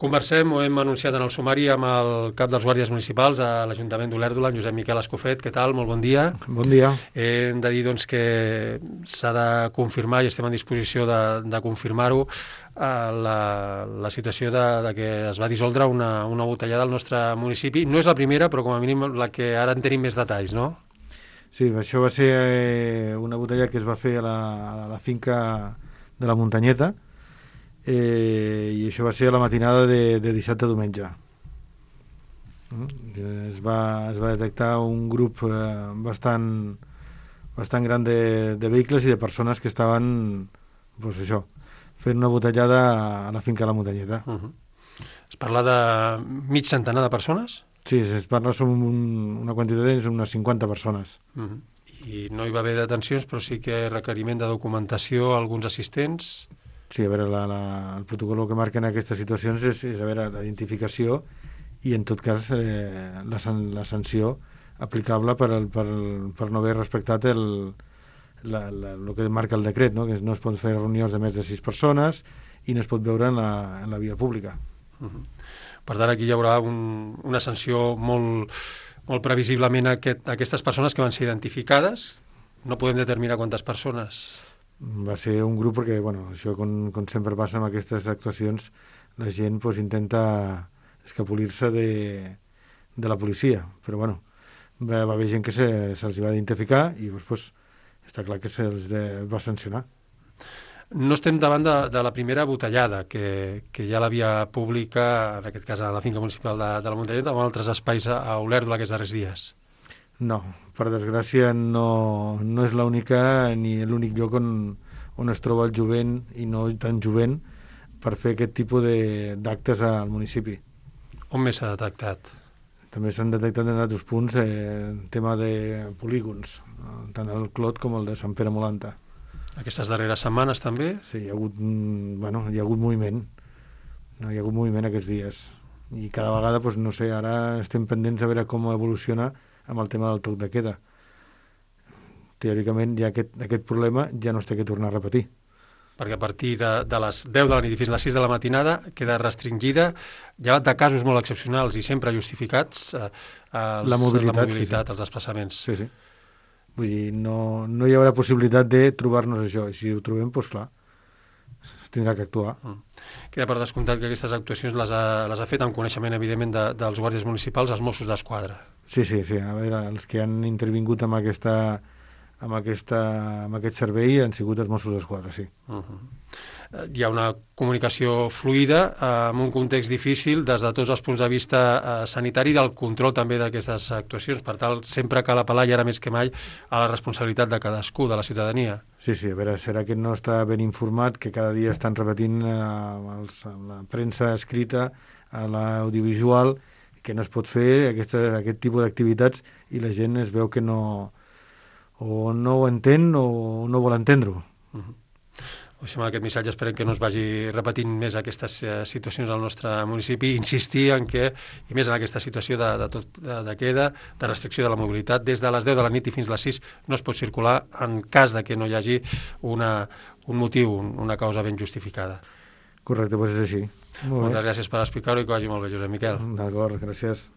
Conversem, ho hem anunciat en el sumari, amb el cap dels guàrdies municipals a l'Ajuntament d'Olèrdola, en Josep Miquel Escofet. Què tal? Molt bon dia. Bon dia. Hem de dir doncs, que s'ha de confirmar, i estem en disposició de confirmar-ho, la situació de que es va dissoldre una botellada al nostre municipi. No és la primera, però com a mínim la que ara en tenim més detalls, no? Sí, això va ser una botella que es va fer a la finca de la Muntanyeta, i això va ser a la matinada de dissabte a diumenge. Es va detectar un grup bastant gran de vehicles i de persones que estaven fent una botellada a la finca de la Muntanyeta. Es parla de mig centenar de persones? Sí, es parla sobre una quantitat d'unes 50 persones. I no hi va haver detencions, però sí que requeriment de documentació a alguns assistents. Sí, a veure, el protocol que marquen aquestes situacions és a veure, la identificació i, en tot cas, la sanció aplicable per no haver respectat el que marca el decret, no? Que no es pot fer reunions de més de 6 persones i no es pot veure en la via pública. Per tant, aquí hi haurà una sanció molt previsiblement a aquestes persones que van ser identificades. No podem determinar quantes persones. Va ser un grup perquè, això com sempre passa amb aquestes actuacions, la gent intenta escapolir-se de la policia, però va haver gent que se'ls va identificar i després està clar que se'ls va sancionar. No estem davant de la primera botellada, que ja l'havia pública, en aquest cas a la finca municipal de la Muntanyeta, o en altres espais a Olèrdola aquests darrers dies. No, per desgràcia no és l'única ni l'únic lloc on es troba el jovent i no tan jovent per fer aquest tipus d'actes al municipi. On més s'ha detectat? També s'han detectat en altres punts tema de polígons, tant el Clot com el de Sant Pere Molanta. Aquestes darreres setmanes també? Sí, hi ha hagut moviment. Hi ha hagut moviment aquests dies. I cada vegada, no sé, ara estem pendents a veure com evoluciona amb el tema del toc de queda. Teòricament, ja aquest problema ja no es té que tornar a repetir. Perquè a partir de les 10 de la nit i fins a les 6 de la matinada queda restringida, llevat de casos molt excepcionals i sempre justificats, la mobilitat, sí. Els desplaçaments. Sí. Vull dir, no hi haurà possibilitat de trobar-nos això. I si ho trobem, clar, es tindrà que actuar. Queda per descomptat que aquestes actuacions les ha fet amb coneixement, evidentment, dels guàrdies municipals, els Mossos d'Esquadra. Sí. A veure, els que han intervingut amb aquest servei han sigut els Mossos d'Esquadra, sí. Hi ha una comunicació fluida en un context difícil des de tots els punts de vista sanitari i del control també d'aquestes actuacions. Per tant, sempre cal apel·lar, i ara més que mai, a la responsabilitat de cadascú, de la ciutadania. Sí, a veure, serà que no està ben informat, que cada dia estan repetint a la premsa escrita, a l'audiovisual, que no es pot fer aquest tipus d'activitats i la gent es veu que no ho entén o no vol entendre-ho. Amb aquest missatge esperem que no es vagi repetint més aquestes situacions al nostre municipi, insistir en que, i més en aquesta situació de queda, de restricció de la mobilitat, des de les 10 de la nit i fins a les 6 no es pot circular en cas de que no hi hagi un motiu, una causa ben justificada. Correcte, és així. Moltes gràcies per explicar-ho i que vagi molt bé, Josep Miquel. D'acord, gràcies.